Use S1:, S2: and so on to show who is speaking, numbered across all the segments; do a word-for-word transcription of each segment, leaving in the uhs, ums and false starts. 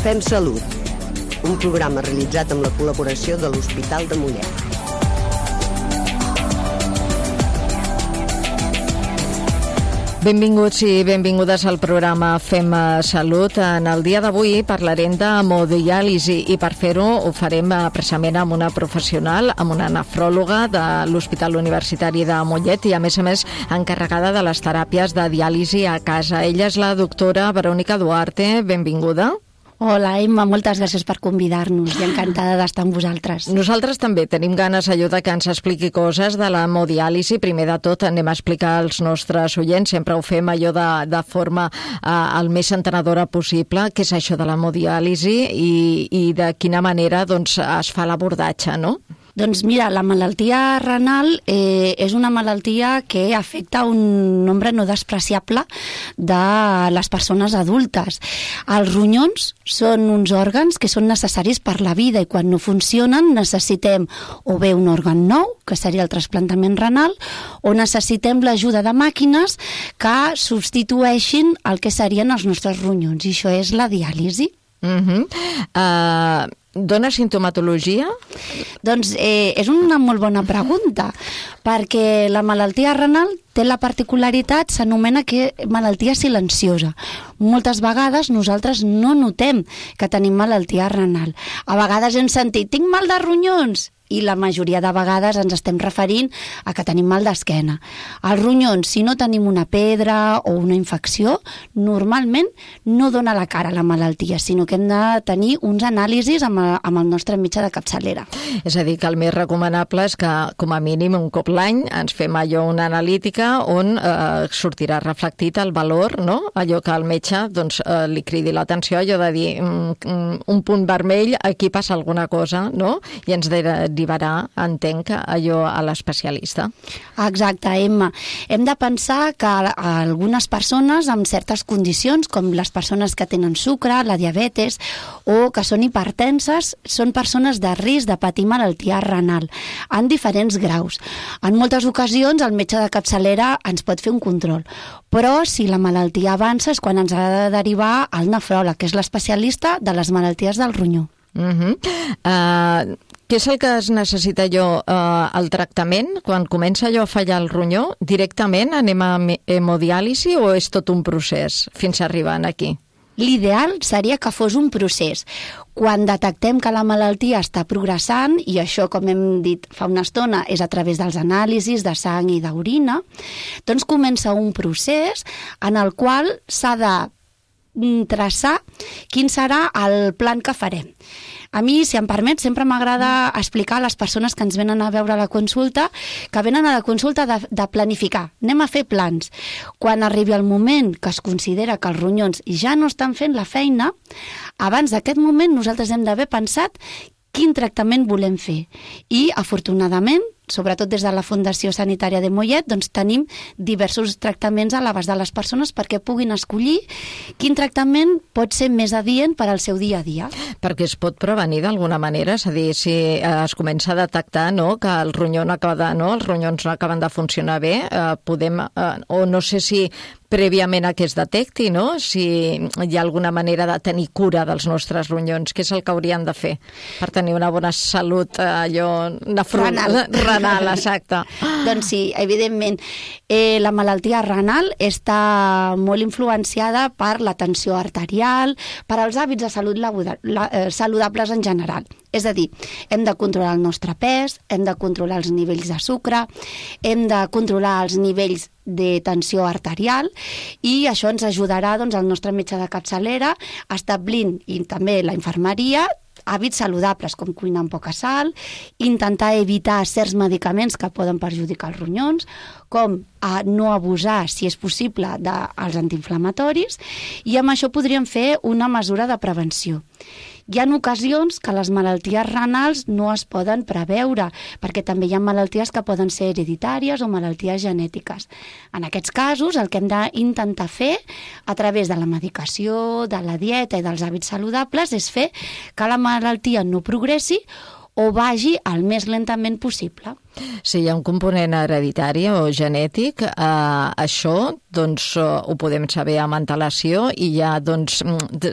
S1: Fem Salut, un programa realitzat amb la col·laboració de l'Hospital de Mollet.
S2: Benvinguts i benvingudes al programa Fem Salut. En el dia d'avui parlarem d'hemodiàlisi i per fer-ho ho farem precisament amb una professional, amb una nefròloga de l'Hospital Universitari de Mollet i a més a més encarregada de les teràpies de diàlisi a casa. Ella és la doctora Verònica Duarte. Benvinguda.
S3: Hola, Emma, moltes gràcies per convidar-nos i encantada d'estar amb vosaltres.
S2: Nosaltres també tenim ganes de que ens expliqui coses de l'hemodiàlisi. Primer de tot anem a explicar als nostres oients, sempre ho fem allò de, de forma eh, el més entenedora possible, què és això de l'hemodiàlisi i, i de quina manera doncs, es fa l'abordatge, no?
S3: Doncs mira, la malaltia renal eh, és una malaltia que afecta un nombre no despreciable de les persones adultes. Els ronyons són uns òrgans que són necessaris per la vida i quan no funcionen necessitem o bé un òrgan nou, que seria el trasplantament renal, o necessitem l'ajuda de màquines que substitueixin el que serien els nostres ronyons, i això és la diàlisi.
S2: Uh-huh. Uh, dona sintomatologia?
S3: Doncs eh, és una molt bona pregunta, perquè la malaltia renal té la particularitat, s'anomena que malaltia silenciosa. Moltes vegades nosaltres no notem que tenim malaltia renal. A vegades hem sentit, tinc mal de ronyons, i la majoria de vegades ens estem referint a que tenim mal d'esquena. Els ronyons, si no tenim una pedra o una infecció, normalment no dona la cara a la malaltia, sinó que hem de tenir uns anàlisis amb, a, amb el nostre metge de capçalera.
S2: És a dir, que el més recomanable és que, com a mínim, un cop l'any ens fem allò una analítica on eh, sortirà reflectit el valor, no? Allò que el metge doncs, eh, li cridi l'atenció, allò de dir mm, un punt vermell, aquí passa alguna cosa, no? I ens de derivarà, entenc, allò a l'especialista.
S3: Exacte, Emma. Hem de pensar que algunes persones amb certes condicions, com les persones que tenen sucre, la diabetes, o que són hipertenses, són persones de risc de patir malaltia renal, en diferents graus. En moltes ocasions el metge de capçalera ens pot fer un control, però si la malaltia avança és quan ens ha de derivar al nefròleg, que és l'especialista de les malalties del ronyó.
S2: Uh-huh. Uh, què és el que es necessita allò, uh, el tractament? Quan comença allò a fallar el ronyó, directament anem a hemodiàlisi o és tot un procés fins a arribar aquí?
S3: L'ideal seria que fos un procés. Quan detectem que la malaltia està progressant, i això, com hem dit fa una estona, és a través dels anàlisis de sang i d'orina, doncs comença un procés en el qual s'ha de traçar quin serà el plan que farem. A mi, si em permet, sempre m'agrada explicar a les persones que ens venen a veure a la consulta que venen a la consulta de, de planificar. Anem a fer plans. Quan arribi el moment que es considera que els ronyons ja no estan fent la feina, abans d'aquest moment nosaltres hem d'haver pensat quin tractament volem fer. I, afortunadament, sobretot des de la Fundació Sanitària de Mollet, doncs tenim diversos tractaments a l'abast de les persones perquè puguin escollir quin tractament pot ser més adient per al seu dia a dia.
S2: Perquè es pot prevenir d'alguna manera, és a dir, si es comença a detectar, no, que el ronyó no acaba de, no, els ronyons no acaben de funcionar bé, eh, podem, eh, o no sé si prèviament a que es detecti, no? Si hi ha alguna manera de tenir cura dels nostres ronyons, què és el que haurien de fer per tenir una bona salut eh, allò nefronal, renal. renal, exacte.
S3: Doncs sí, evidentment. Eh, la malaltia renal està molt influenciada per la tensió arterial, per als hàbits de salut saludables en general. És a dir, hem de controlar el nostre pes, hem de controlar els nivells de sucre, hem de controlar els nivells de tensió arterial i això ens ajudarà doncs, el nostre metge de capçalera establint, i també la infermeria, hàbits saludables com cuinar amb poca sal, intentar evitar certs medicaments que poden perjudicar els ronyons, com a no abusar, si és possible, dels antiinflamatoris, i amb això podríem fer una mesura de prevenció. Hi ha ocasions que les malalties renals no es poden preveure, perquè també hi ha malalties que poden ser hereditàries o malalties genètiques. En aquests casos, el que hem d'intentar fer, a través de la medicació, de la dieta i dels hàbits saludables, és fer que la malaltia no progressi o vagi el més lentament possible.
S2: Si hi ha un component hereditari o genètic, eh, això doncs, ho podem saber amb antelació i ja doncs,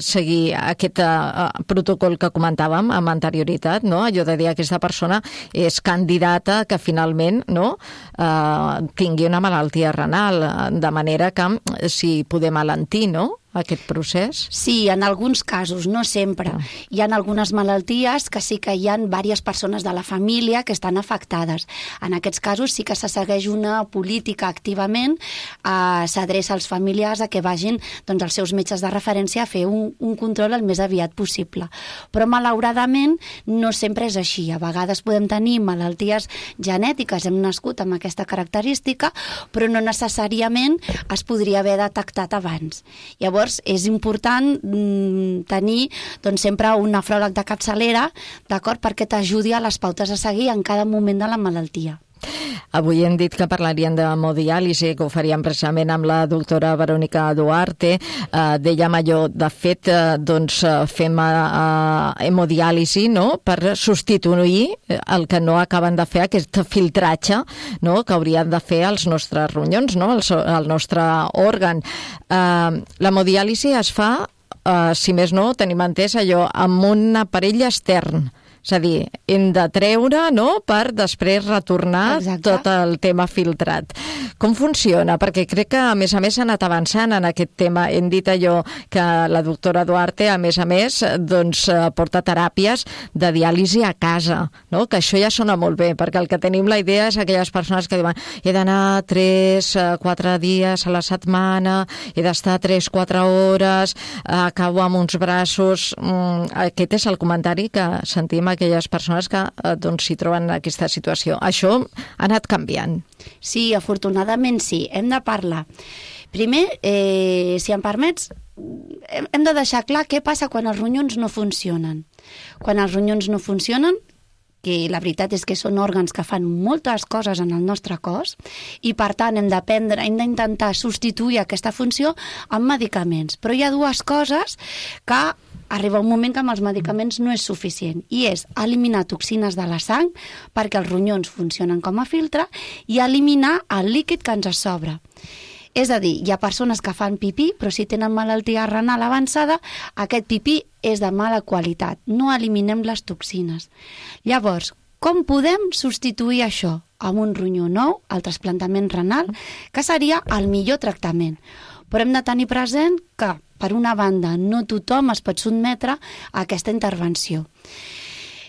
S2: seguir aquest eh, protocol que comentàvem amb anterioritat, no? Allò de dir que aquesta persona és candidata que finalment no, eh, tingui una malaltia renal, de manera que si podem alentir, no?, aquest procés?
S3: Sí, en alguns casos, no sempre. Ah. Hi ha algunes malalties que sí que hi ha diverses persones de la família que estan afectades. En aquests casos sí que se segueix una política activament, eh, s'adreça als familiars a que vagin doncs, els seus metges de referència a fer un, un control el més aviat possible. Però malauradament no sempre és així. A vegades podem tenir malalties genètiques, hem nascut amb aquesta característica, però no necessàriament es podria haver detectat abans. Llavors, és important mm, tenir doncs, sempre un nefròleg de capçalera, d'acord, perquè t'ajudi a les pautes a seguir en cada moment de la malaltia.
S2: Avui hem dit que parlarien d'hemodiàlisi, que ho faríem precisament amb la doctora Verònica Duarte. Eh, dèiem allò, de fet, eh, doncs, fem eh, hemodiàlisi, no?, per substituir el que no acaben de fer, aquest filtratge, no?, que haurien de fer els nostres ronyons, no?, el, el nostre òrgan. Eh, l'hemodiàlisi es fa, eh, si més no, tenim entès allò, amb un aparell extern. És a dir, hem de treure, no?, per després retornar Exacte. Tot el tema filtrat. Com funciona? Perquè crec que, a més a més, s'ha anat avançant en aquest tema. Hem dit allò que la doctora Duarte, a més a més, doncs, porta teràpies de diàlisi a casa, no?, que això ja sona molt bé, perquè el que tenim la idea és aquelles persones que diuen he d'anar tres, quatre dies a la setmana, he d'estar tres, quatre hores, acabo amb uns braços... Aquest és el comentari que sentim aquelles persones que doncs, s'hi troben en aquesta situació. Això ha anat canviant.
S3: Sí, afortunadament sí. Hem de parlar. Primer, eh, si em permets, hem de deixar clar què passa quan els ronyons no funcionen. Quan els ronyons no funcionen, que la veritat és que són òrgans que fan moltes coses en el nostre cos i, per tant, hem d'aprendre, hem d'intentar substituir aquesta funció amb medicaments. Però hi ha dues coses que arriba un moment que amb els medicaments no és suficient, i és eliminar toxines de la sang perquè els ronyons funcionen com a filtre i eliminar el líquid que ens sobra. És a dir, hi ha persones que fan pipí, però si tenen malaltia renal avançada, aquest pipí és de mala qualitat. No eliminem les toxines. Llavors, com podem substituir això amb un ronyó nou, el trasplantament renal, que seria el millor tractament? Però hem de tenir present que, per una banda, no tothom es pot sotmetre a aquesta intervenció.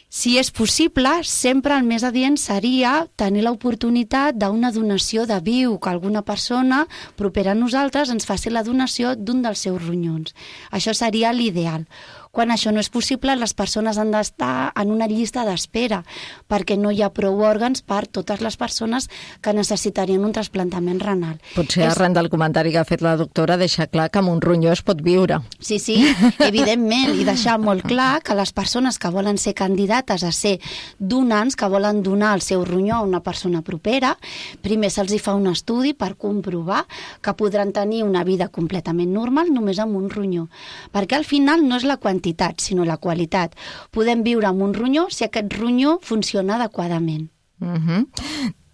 S3: Si és possible, sempre el més adient seria tenir l'oportunitat d'una donació de viu, que alguna persona propera a nosaltres ens faci la donació d'un dels seus ronyons. Això seria l'ideal. Quan això no és possible, les persones han d'estar en una llista d'espera, perquè no hi ha prou òrgans per totes les persones que necessitarien un trasplantament renal.
S2: Potser és... arran del comentari que ha fet la doctora, deixar clar que amb un ronyó es pot viure.
S3: Sí, sí, evidentment, i deixar molt clar que les persones que volen ser candidates a ser donants, que volen donar el seu ronyó a una persona propera, primer se'ls hi fa un estudi per comprovar que podran tenir una vida completament normal només amb un ronyó. Perquè al final no és la quantitat, sinó la qualitat. Podem viure amb un ronyó si aquest ronyó funciona adequadament.
S2: Uh-huh.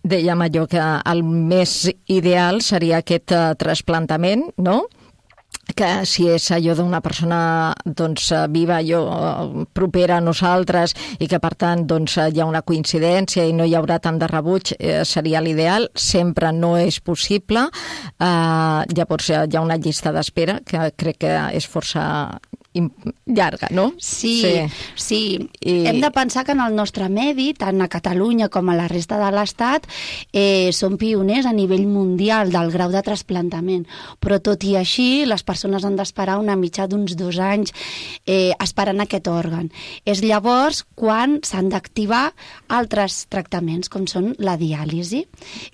S2: Dèiem allò que el més ideal seria aquest uh, trasplantament, no?, que si és allò d'una persona doncs, viva, allò, propera a nosaltres, i que per tant doncs, hi ha una coincidència i no hi haurà tant de rebuig, eh, seria l'ideal. Sempre no és possible. Eh, llavors hi ha una llista d'espera que crec que és força llarga, no?
S3: Sí, sí. sí. I... Hem de pensar que en el nostre medi, tant a Catalunya com a la resta de l'Estat, eh, som pioners a nivell mundial del grau de trasplantament. Però tot i així, les persones han d'esperar una mitja d'uns dos anys eh, esperant aquest òrgan. És llavors quan s'han d'activar altres tractaments, com són la diàlisi.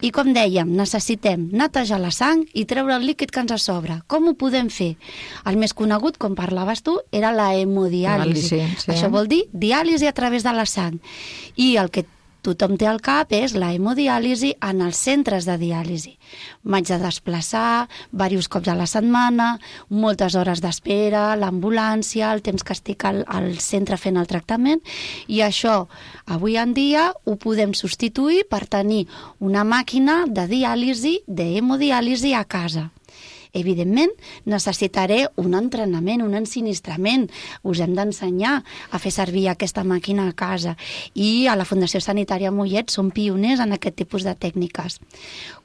S3: I com dèiem, necessitem netejar la sang i treure el líquid que ens sobra. Com ho podem fer? El més conegut, com parlaves tu, era la hemodiàlisi. Sí, sí. Això vol dir diàlisi a través de la sang. I el que tothom té al cap és la hemodiàlisi en els centres de diàlisi. M'haig de desplaçar diversos cops a la setmana, moltes hores d'espera, l'ambulància, el temps que estic al, al centre fent el tractament, i això avui en dia ho podem substituir per tenir una màquina de diàlisi, d'hemodiàlisi a casa. Evidentment, necessitaré un entrenament, un ensinistrament. Us hem d'ensenyar a fer servir aquesta màquina a casa. I a la Fundació Sanitària Mollet som pioners en aquest tipus de tècniques.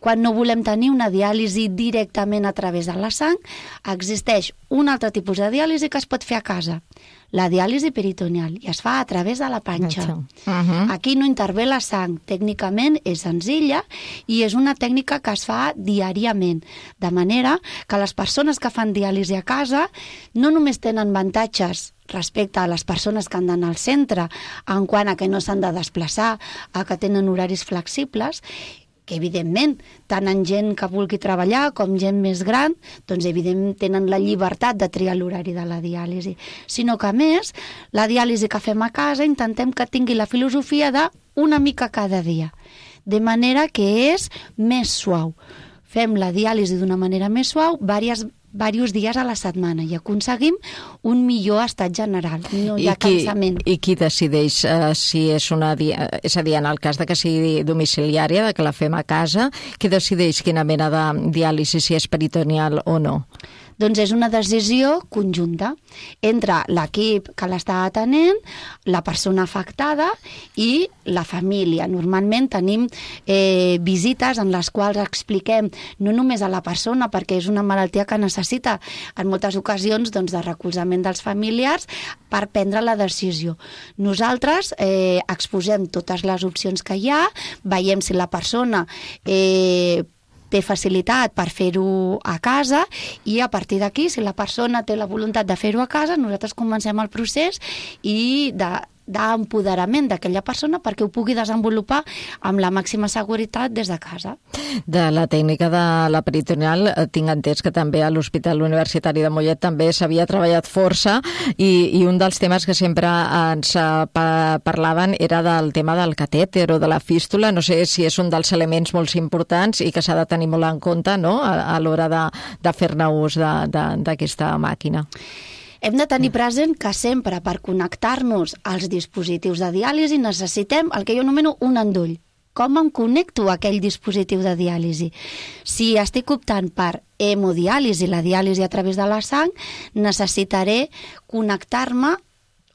S3: Quan no volem tenir una diàlisi directament a través de la sang, existeix un altre tipus de diàlisi que es pot fer a casa. La diàlisi peritoneal, i es fa a través de la panxa. Uh-huh. Aquí no intervé la sang. Tècnicament és senzilla i és una tècnica que es fa diàriament. De manera que les persones que fan diàlisi a casa no només tenen avantatges respecte a les persones que han d'anar al centre, en quant a que no s'han de desplaçar, a que tenen horaris flexibles, que evidentment, tant en gent que vulgui treballar com gent més gran, doncs evidentment tenen la llibertat de triar l'horari de la diàlisi, sinó que a més, la diàlisi que fem a casa intentem que tingui la filosofia de una mica cada dia, de manera que és més suau. Fem la diàlisi d'una manera més suau, diversos diversos dies a la setmana, i aconseguim un millor estat general, no hi ha cansament.
S2: I qui decideix uh, si és una... És a dir, en el cas de que sigui domiciliària, de que la fem a casa, qui decideix quina mena de diàlisi, si és peritoneal o no?
S3: Doncs és una decisió conjunta entre l'equip que l'està atenent, la persona afectada i la família. Normalment tenim eh, visites en les quals expliquem no només a la persona, perquè és una malaltia que necessita en moltes ocasions doncs, de recolzament dels familiars per prendre la decisió. Nosaltres eh, exposem totes les opcions que hi ha, veiem si la persona eh, té facilitat per fer-ho a casa, i a partir d'aquí, si la persona té la voluntat de fer-ho a casa, nosaltres comencem el procés i de d'empoderament d'aquella persona perquè ho pugui desenvolupar amb la màxima seguretat des de casa.
S2: De la tècnica de la peritoneal tinc entès que també a l'Hospital Universitari de Mollet també s'havia treballat força, i, i un dels temes que sempre ens pa, parlaven era del tema del catèter o de la fístula. No sé si és un dels elements molt importants i que s'ha de tenir molt en compte, no?, a, a l'hora de, de fer-ne ús d'aquesta màquina.
S3: Hem de tenir present que sempre per connectar-nos als dispositius de diàlisi necessitem el que jo anomeno un endoll. Com em connecto a aquell dispositiu de diàlisi? Si estic optant per hemodiàlisi, la diàlisi a través de la sang, necessitaré connectar-me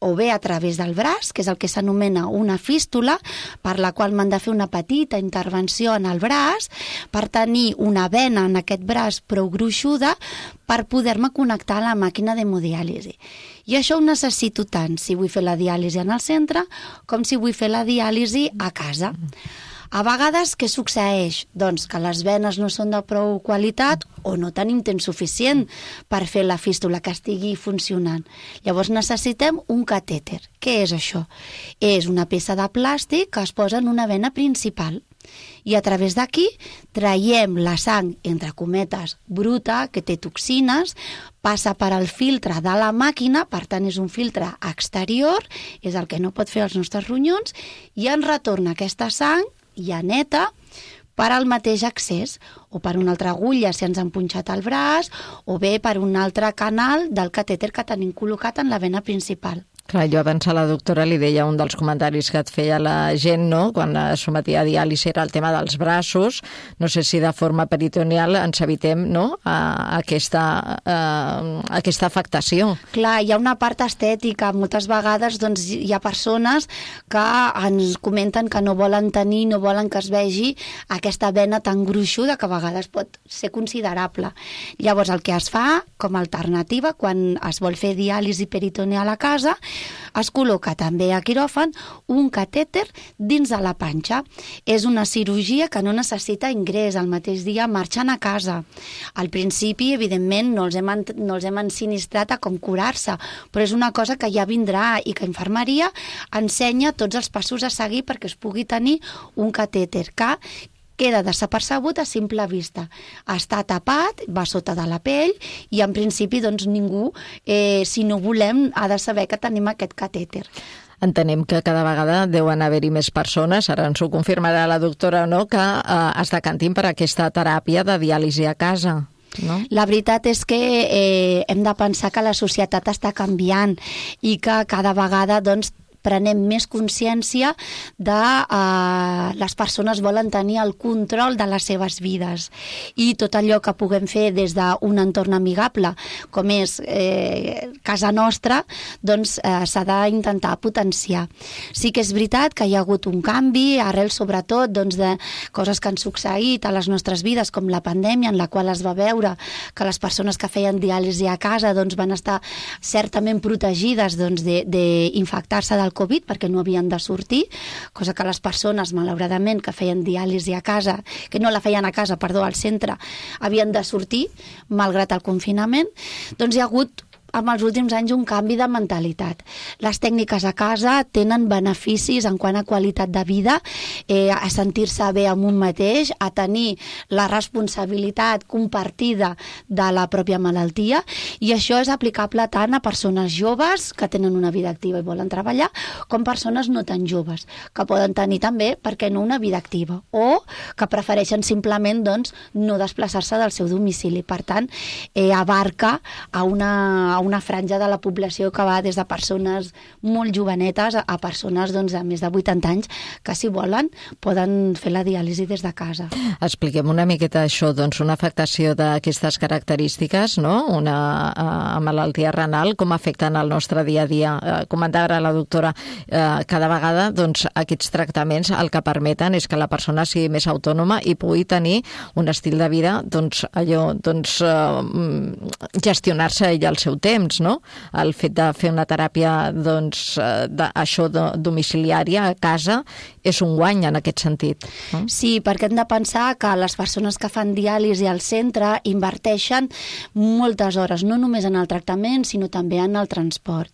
S3: o bé a través del braç, que és el que s'anomena una fístula, per la qual m'han de fer una petita intervenció en el braç, per tenir una vena en aquest braç prou gruixuda per poder-me connectar a la màquina d'hemodiàlisi. I això ho necessito tant si vull fer la diàlisi en el centre com si vull fer la diàlisi a casa. A vegades, què succeeix? Doncs que les venes no són de prou qualitat o no tenim temps suficient per fer la fístula que estigui funcionant. Llavors necessitem un catèter. Què és això? És una peça de plàstic que es posa en una vena principal. I a través d'aquí traiem la sang, entre cometes, bruta, que té toxines, passa per al filtre de la màquina, per tant és un filtre exterior, és el que no pot fer els nostres ronyons, i ens retorna aquesta sang ja neta per al mateix accés, o per una altra agulla si ens han punxat el braç, o bé per un altre canal del catèter que tenim col·locat en la vena principal.
S2: Clar, jo abans a la doctora li deia un dels comentaris que et feia la gent, no?, quan es sometia a diàlisi, era el tema dels braços. No sé si de forma peritoneal ens evitem, no?, a aquesta, a aquesta afectació.
S3: Clar, hi ha una part estètica. Moltes vegades doncs, hi ha persones que ens comenten que no volen tenir, no volen que es vegi aquesta vena tan gruixuda, que a vegades pot ser considerable. Llavors, el que es fa com a alternativa quan es vol fer diàlisi peritoneal a casa, es col·loca també a quiròfan un catèter dins de la panxa. És una cirurgia que no necessita ingrés, al mateix dia marxen a casa. Al principi, evidentment, no els hem, no els hem ensinistrat a com curar-se, però és una cosa que ja vindrà i que infermeria ensenya tots els passos a seguir perquè es pugui tenir un catèter que queda desapercebut a simple vista. Està tapat, va sota de la pell i en principi doncs ningú, eh, si no volem, ha de saber que tenim aquest catèter.
S2: Entenem que cada vegada deuen haver-hi més persones, ara ens ho confirmarà la doctora o no, que eh, es decantin per aquesta teràpia de diàlisi a casa. No?
S3: La veritat és que eh, hem de pensar que la societat està canviant i que cada vegada doncs, prenem més consciència de eh, les persones volen tenir el control de les seves vides i tot allò que puguem fer des d'un entorn amigable, com és eh, casa nostra, doncs eh, s'ha d'intentar potenciar. Sí que és veritat que hi ha hagut un canvi, arrel sobretot doncs, de coses que han succeït a les nostres vides, com la pandèmia, en la qual es va veure que les persones que feien diàlisi a casa doncs, van estar certament protegides doncs, d'infectar-se del Covid perquè no havien de sortir, cosa que les persones, malauradament, que feien diàlisi a casa, que no la feien a casa, perdó, al centre, havien de sortir, malgrat el confinament, doncs hi ha hagut amb els últims anys un canvi de mentalitat. Les tècniques a casa tenen beneficis en quant a qualitat de vida, eh, a sentir-se bé amb un mateix, a tenir la responsabilitat compartida de la pròpia malaltia, i això és aplicable tant a persones joves que tenen una vida activa i volen treballar, com persones no tan joves, que poden tenir també, per què no, una vida activa, o que prefereixen simplement doncs, no desplaçar-se del seu domicili. Per tant, eh, abarca a una a una franja de la població que va des de persones molt jovenetes a persones doncs, de més de vuitanta anys que, si volen, poden fer la diàlisi des de casa.
S2: Expliquem una miqueta això, doncs, una afectació d'aquestes característiques, no? Una uh, malaltia renal, com afecten el nostre dia a dia. Uh, comentava ara la doctora, uh, cada vegada doncs, aquests tractaments el que permeten és que la persona sigui més autònoma i pugui tenir un estil de vida, doncs, allò, doncs, uh, gestionar-se ell al seu temps, no? El fet de fer una teràpia doncs, de, això de, domiciliària a casa és un guany en aquest sentit. No?
S3: Sí, perquè hem de pensar que les persones que fan diàlisi al centre inverteixen moltes hores, no només en el tractament, sinó també en el transport.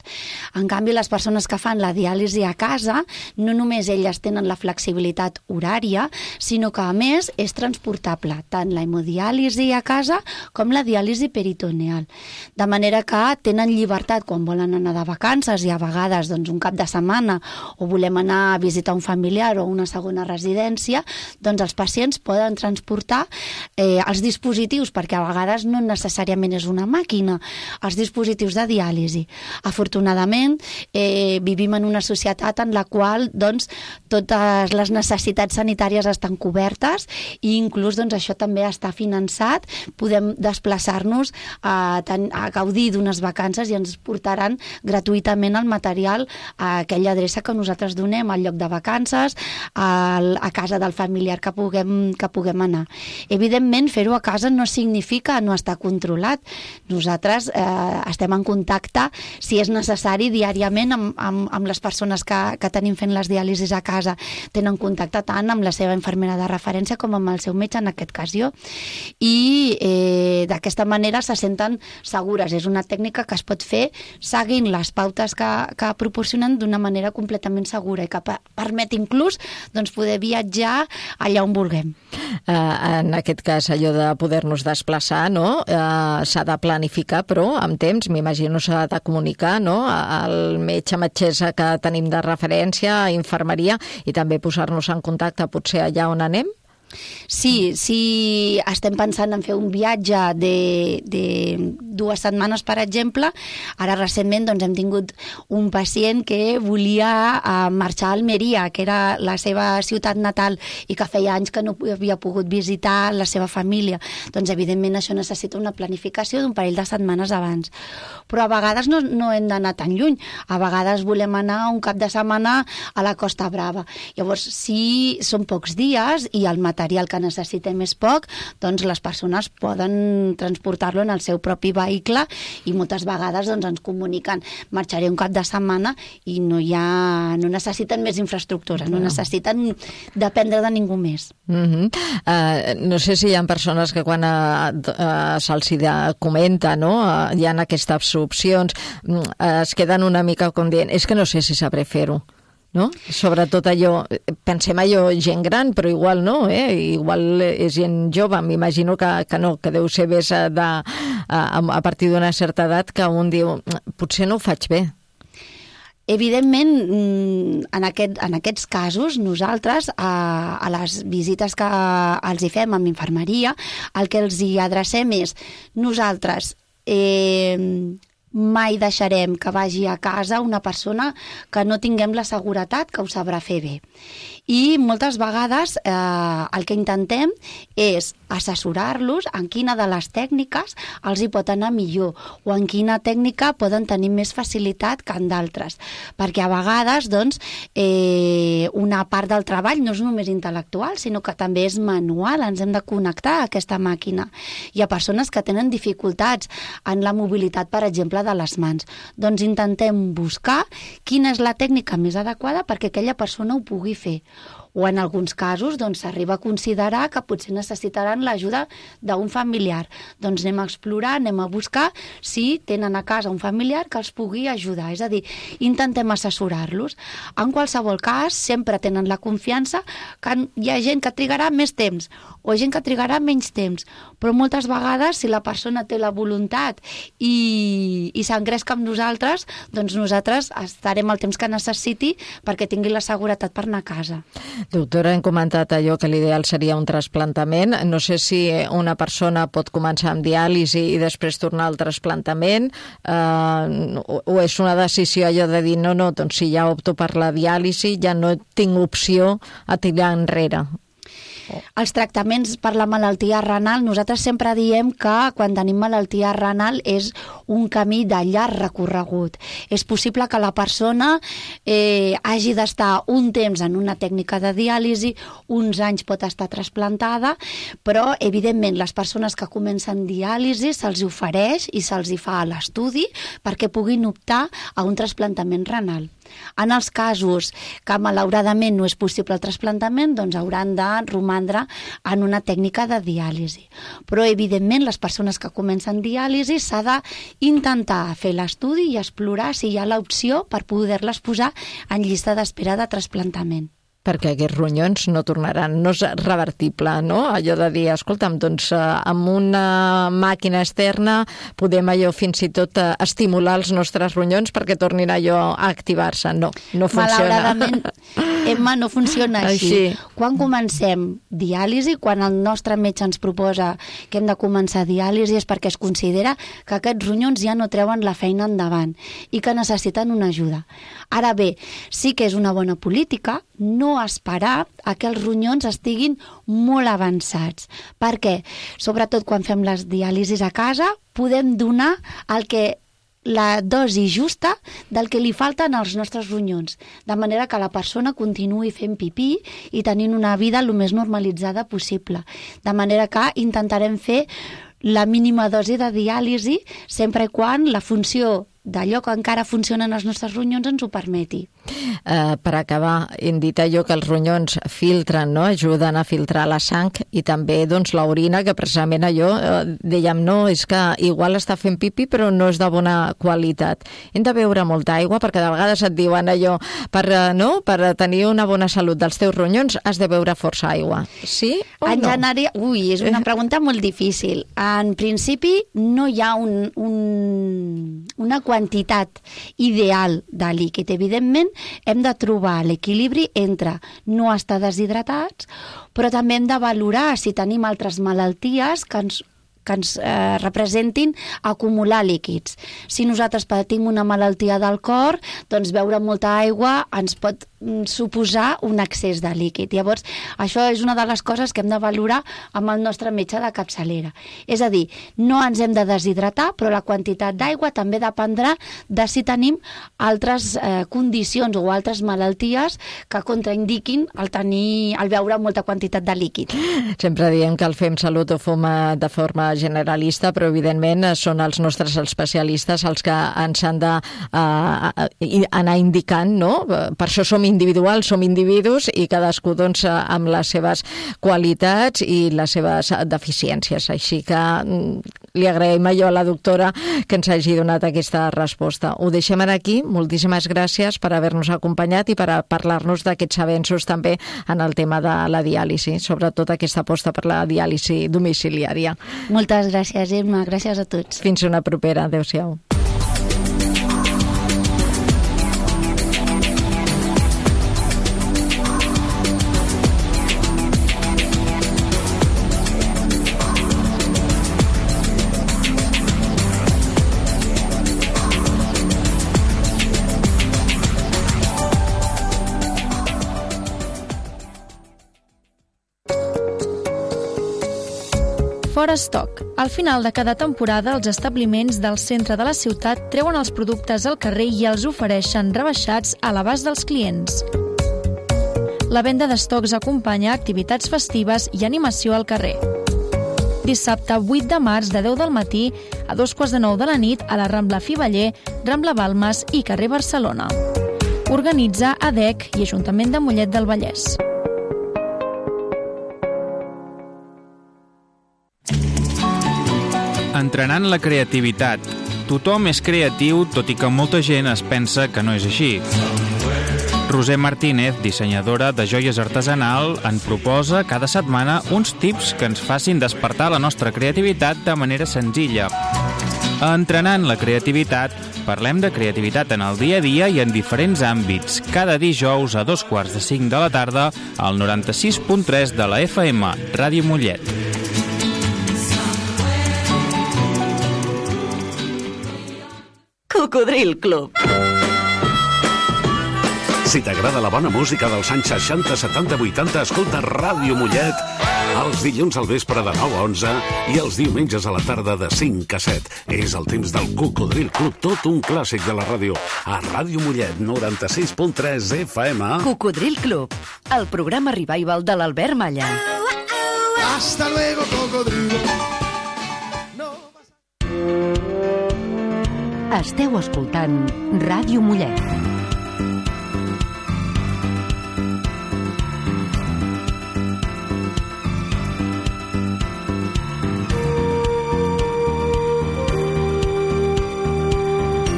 S3: En canvi, les persones que fan la diàlisi a casa, no només elles tenen la flexibilitat horària, sinó que, a més, és transportable, tant la hemodiàlisi a casa com la diàlisi peritoneal. De manera que tenen llibertat quan volen anar de vacances i a vegades doncs, un cap de setmana o volem anar a visitar un familiar o una segona residència, doncs els pacients poden transportar eh, els dispositius, perquè a vegades no necessàriament és una màquina, els dispositius de diàlisi. Afortunadament, eh, vivim en una societat en la qual doncs, totes les necessitats sanitàries estan cobertes i inclús doncs, això també està finançat, podem desplaçar-nos a, a gaudir d'unes vacances i ens portaran gratuïtament el material a aquella adreça que nosaltres donem, al lloc de vacances, a, a casa del familiar que puguem, que puguem anar. Evidentment, fer-ho a casa no significa no estar controlat. Nosaltres eh, estem en contacte, si és necessari, diàriament amb, amb, amb les persones que, que tenim fent les diàlisis a casa. Tenen contacte tant amb la seva infermera de referència com amb el seu metge, en aquest cas jo. I eh, d'aquesta manera se senten segures. És una tècnica que es pot fer seguint les pautes que, que proporcionen d'una manera completament segura i que permet inclús doncs, poder viatjar allà on vulguem.
S2: Uh, en aquest cas, allò de poder-nos desplaçar, no? Uh, s'ha de planificar, però amb temps, m'imagino s'ha de comunicar, no? Al metge, metgessa que tenim de referència, a infermeria, i també posar-nos en contacte potser allà on anem?
S3: Sí, si estem pensant en fer un viatge de, de dues setmanes, per exemple, ara recentment doncs, hem tingut un pacient que volia uh, marxar a Almeria, que era la seva ciutat natal i que feia anys que no havia pogut visitar la seva família. Doncs evidentment això necessita una planificació d'un parell de setmanes abans. Però a vegades no, no hem d'anar tan lluny. A vegades volem anar un cap de setmana a la Costa Brava. Llavors, si són pocs dies i el material que necessitem és poc, doncs les persones poden transportar-lo en el seu propi vehicle i moltes vegades doncs, ens comuniquen marxaré un cap de setmana i no, hi ha, no necessiten més infraestructura, no, no necessiten dependre de ningú més.
S2: Uh-huh. uh, no sé si hi ha persones que quan uh, uh, se'ls comenta, no? uh, hi ha aquestes opcions, uh, es queden una mica com dient, és que no sé si sabré fer-ho. No? Sobretot allò, pensem allò gent gran, però igual no, eh? Igual és gent jove, m'imagino que, que no, que deu ser més de, a, a partir d'una certa edat que un diu, potser no ho faig bé.
S3: Evidentment, en, aquest, en aquests casos, nosaltres, a, a les visites que els hi fem amb infermeria, el que els hi adrecem és nosaltres eh, mai deixarem que vagi a casa una persona que no tinguem la seguretat que ho sabrà fer bé. I moltes vegades eh, el que intentem és assessorar-los en quina de les tècniques els hi pot anar millor o en quina tècnica poden tenir més facilitat que en d'altres. Perquè a vegades doncs, eh, una part del treball no és només intel·lectual, sinó que també és manual, ens hem de connectar a aquesta màquina. Hi ha persones que tenen dificultats en la mobilitat, per exemple, de les mans. Doncs intentem buscar quina és la tècnica més adequada perquè aquella persona ho pugui fer. O en alguns casos doncs, s'arriba a considerar que potser necessitaran l'ajuda d'un familiar. Doncs anem a explorar, anem a buscar si tenen a casa un familiar que els pugui ajudar. És a dir, intentem assessorar-los. En qualsevol cas, sempre tenen la confiança que hi ha gent que trigarà més temps o gent que trigarà menys temps. Però moltes vegades, si la persona té la voluntat i, i s'engresca amb nosaltres, doncs nosaltres estarem el temps que necessiti perquè tingui la seguretat per anar a casa.
S2: Doctora, hem comentat allò que l'ideal seria un trasplantament. No sé si una persona pot començar amb diàlisi i després tornar al trasplantament, eh, o és una decisió allò de dir no, no, doncs si ja opto per la diàlisi ja no tinc opció a tirar enrere.
S3: Els tractaments per la malaltia renal, nosaltres sempre diem que quan tenim malaltia renal és un camí de llarg recorregut. És possible que la persona eh, hagi d'estar un temps en una tècnica de diàlisi, uns anys pot estar trasplantada, però evidentment les persones que comencen diàlisi se'ls ofereix i se'ls hi fa l'estudi perquè puguin optar a un trasplantament renal. En els casos que malauradament no és possible el trasplantament, doncs hauran de romandre en una tècnica de diàlisi. Però, evidentment, les persones que comencen diàlisi s'ha d'intentar fer l'estudi i explorar si hi ha l'opció per poder-les posar en llista d'espera de trasplantament.
S2: Perquè aquests ronyons no tornaran, no és revertible, no? Allò de dir, escolta'm, doncs amb una màquina externa podem allò fins i tot estimular els nostres ronyons perquè tornin allò a activar-se. No, no funciona.
S3: Malauradament, Emma, no funciona així. així. Quan comencem diàlisi, quan el nostre metge ens proposa que hem de començar diàlisi és perquè es considera que aquests ronyons ja no treuen la feina endavant i que necessiten una ajuda. Ara bé, sí que és una bona política no esperar a que els ronyons estiguin molt avançats. Per què? Sobretot quan fem les diàlisis a casa, podem donar el que la dosi justa del que li falten als nostres ronyons, de manera que la persona continuï fent pipí i tenint una vida el més normalitzada possible. De manera que intentarem fer la mínima dosi de diàlisi sempre i quan la funció d'allò que encara funcionen els nostres ronyons ens ho permeti.
S2: Uh, per acabar, hem dit allò que els ronyons filtren, no? Ajuden a filtrar la sang i també doncs, l'orina, que precisament allò, uh, dèiem, no, és que igual està fent pipi però no és de bona qualitat. Hem de beure molta aigua perquè de vegades et diuen allò, per, uh, no? per tenir una bona salut dels teus ronyons has de beure força aigua. Sí o
S3: en
S2: no?
S3: Generi... Ui, és una pregunta molt difícil. En principi no hi ha un, un, una quantitat ideal de líquid. Evidentment, hem de trobar l'equilibri entre no estar deshidratats, però també hem de valorar si tenim altres malalties que ens que ens eh, representin acumular líquids. Si nosaltres patim una malaltia del cor, doncs beure molta aigua ens pot mm, suposar un excés de líquid. Llavors, això és una de les coses que hem de valorar amb el nostre metge de capçalera. És a dir, no ens hem de deshidratar, però la quantitat d'aigua també dependrà de si tenim altres eh, condicions o altres malalties que contraindiquin el tenir, el beure molta quantitat de líquid.
S2: Sempre diem que el Fem Salut ho fem de forma generalista, però evidentment són els nostres especialistes els que ens han d'anar uh, indicant, no? Per això som individuals, som individus i cadascú doncs, amb les seves qualitats i les seves deficiències. Així que li agraïm allò a la doctora que ens hagi donat aquesta resposta. Ho deixem aquí. Moltíssimes gràcies per haver-nos acompanyat i per a parlar-nos d'aquests avenços també en el tema de la diàlisi, sobretot aquesta aposta per la diàlisi domiciliària.
S3: Moltes gràcies, Emma. Gràcies a tots.
S2: Fins una propera. Adéu-siau.
S4: Fora estoc. Al final de cada temporada, els establiments del centre de la ciutat treuen els productes al carrer i els ofereixen rebaixats a l'abast dels clients. La venda d'estocs acompanya activitats festives i animació al carrer. Dissabte vuit de març de deu del matí a dos quarts de nou de la nit a la Rambla Fiveller, Rambla Balmes i carrer Barcelona. Organitza A D E C i Ajuntament de Mollet del Vallès.
S5: Entrenant la creativitat. Tothom és creatiu, tot i que molta gent es pensa que no és així. Roser Martínez, dissenyadora de joies artesanal, en proposa cada setmana uns tips que ens facin despertar la nostra creativitat de manera senzilla. A Entrenant la creativitat, parlem de creativitat en el dia a dia i en diferents àmbits, cada dijous a dos quarts de cinc de la tarda al noranta-sis punt tres de la F M, Ràdio Mollet.
S1: Cocodril Club.
S6: Si t'agrada la bona música dels anys seixanta, setanta, vuitanta, escolta Ràdio Mollet els dilluns al vespre de nou a onze i els diumenges a la tarda de cinc a set. És el temps del Cocodril Club, tot un clàssic de la ràdio. A Ràdio Mollet, noranta-sis punt tres F M.
S7: Cocodril Club, el programa revival de l'Albert Malla.
S8: Hasta luego, cocodrilo.
S7: Esteu escoltant Ràdio Mollet.